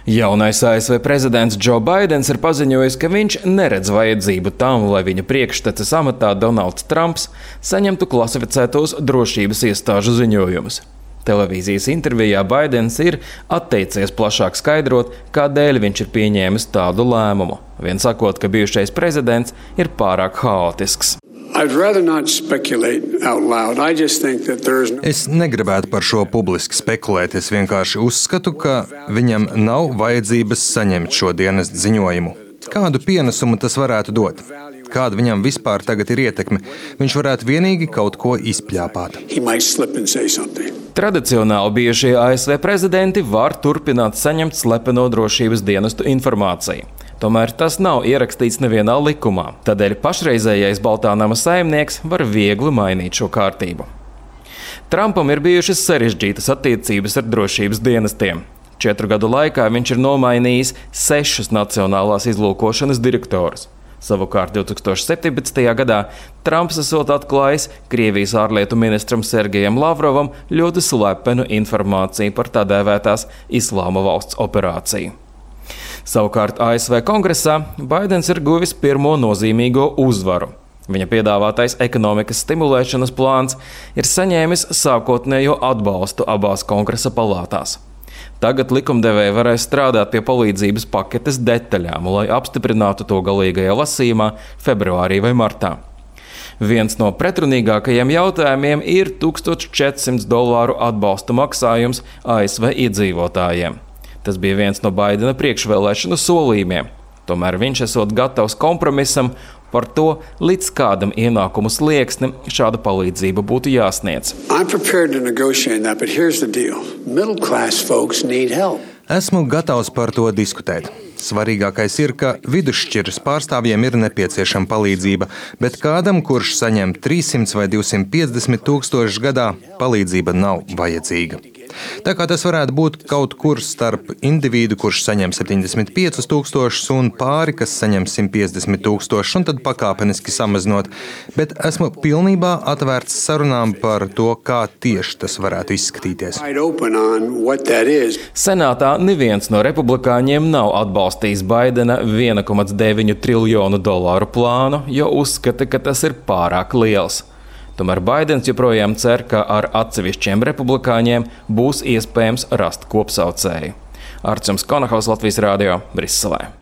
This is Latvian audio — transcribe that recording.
Jaunais ASV prezidents Džo Baidens ir paziņojis, ka viņš neredz vajadzību tam, lai viņa priekšteces amatā Donalds Trumps saņemtu klasificētos drošības iestāžu ziņojumus. Televīzijas intervijā Baidens ir atteicies plašāk skaidrot, kādēļ viņš ir pieņēmis tādu lēmumu, vien sakot, ka bijušais prezidents ir pārāk haotisks. Es negribētu par šo publiski spekulēt. Es vienkārši uzskatu, ka viņam nav vajadzības saņemt šo dienestu ziņojumu. Kādu pienesumu tas varētu dot? Kāda viņam vispār tagad ir ietekme? Viņš varētu vienīgi kaut ko izpļāpāt. Tradicionāli bijušie ASV prezidenti var turpināt saņemt slepeno drošības dienestu informāciju. Tomēr tas nav ierakstīts nevienā likumā, tādēļ pašreizējais Baltā nama saimnieks var viegli mainīt šo kārtību. Trumpam ir bijušas sarežģītas attiecības ar drošības dienestiem. 4 gadu laikā viņš ir nomainījis 6 nacionālās izlūkošanas direktorus. Savukārt 2017. gadā Trumps esot atklājis Krievijas ārlietu ministram Sergejam Lavrovam ļoti slepenu informāciju par tā dēvētās Islāma valsts operāciju. Savukārt ASV kongresā Baidens ir guvis pirmo nozīmīgo uzvaru. Viņa piedāvātais ekonomikas stimulēšanas plāns ir saņēmis sākotnējo atbalstu abās kongresa palātās. Tagad likumdevēji varēs strādāt pie palīdzības paketes detaļām, lai apstiprinātu to galīgajā lasījumā februārī vai martā. Viens no pretrunīgākajiem jautājumiem ir $1400 atbalsta maksājums ASV iedzīvotājiem. Tas bija viens no Baidena priekšvēlēšanu solījumiem. Tomēr viņš esot gatavs kompromisam par to, līdz kādam ienākumu slieksnim šāda palīdzība būtu jāsniedz. Esmu gatavs par to diskutēt. Svarīgākais ir, ka vidusšķiras pārstāvjiem ir nepieciešama palīdzība, bet kādam, kurš saņem 300 vai 250 tūkstošus gadā, palīdzība nav vajadzīga. Tā kā tas varētu būt kaut kur starp individu, kurš saņem 75 tūkstošus un pāri, kas saņem 150 tūkstošus, un tad pakāpeniski samazinot, bet esmu pilnībā atvērts sarunām par to, kā tieši tas varētu izskatīties. Senātā neviens no republikāņiem nav atbalstījis Baidena $1,9 triljonu plānu, jo uzskata, ka tas ir pārāk liels. Tomēr Baidens joprojām cer, ka ar atsevišķiem republikāņiem būs iespējams rast kopsaucēju. Arčuns Konahaus, Latvijas Rādio, Briselē.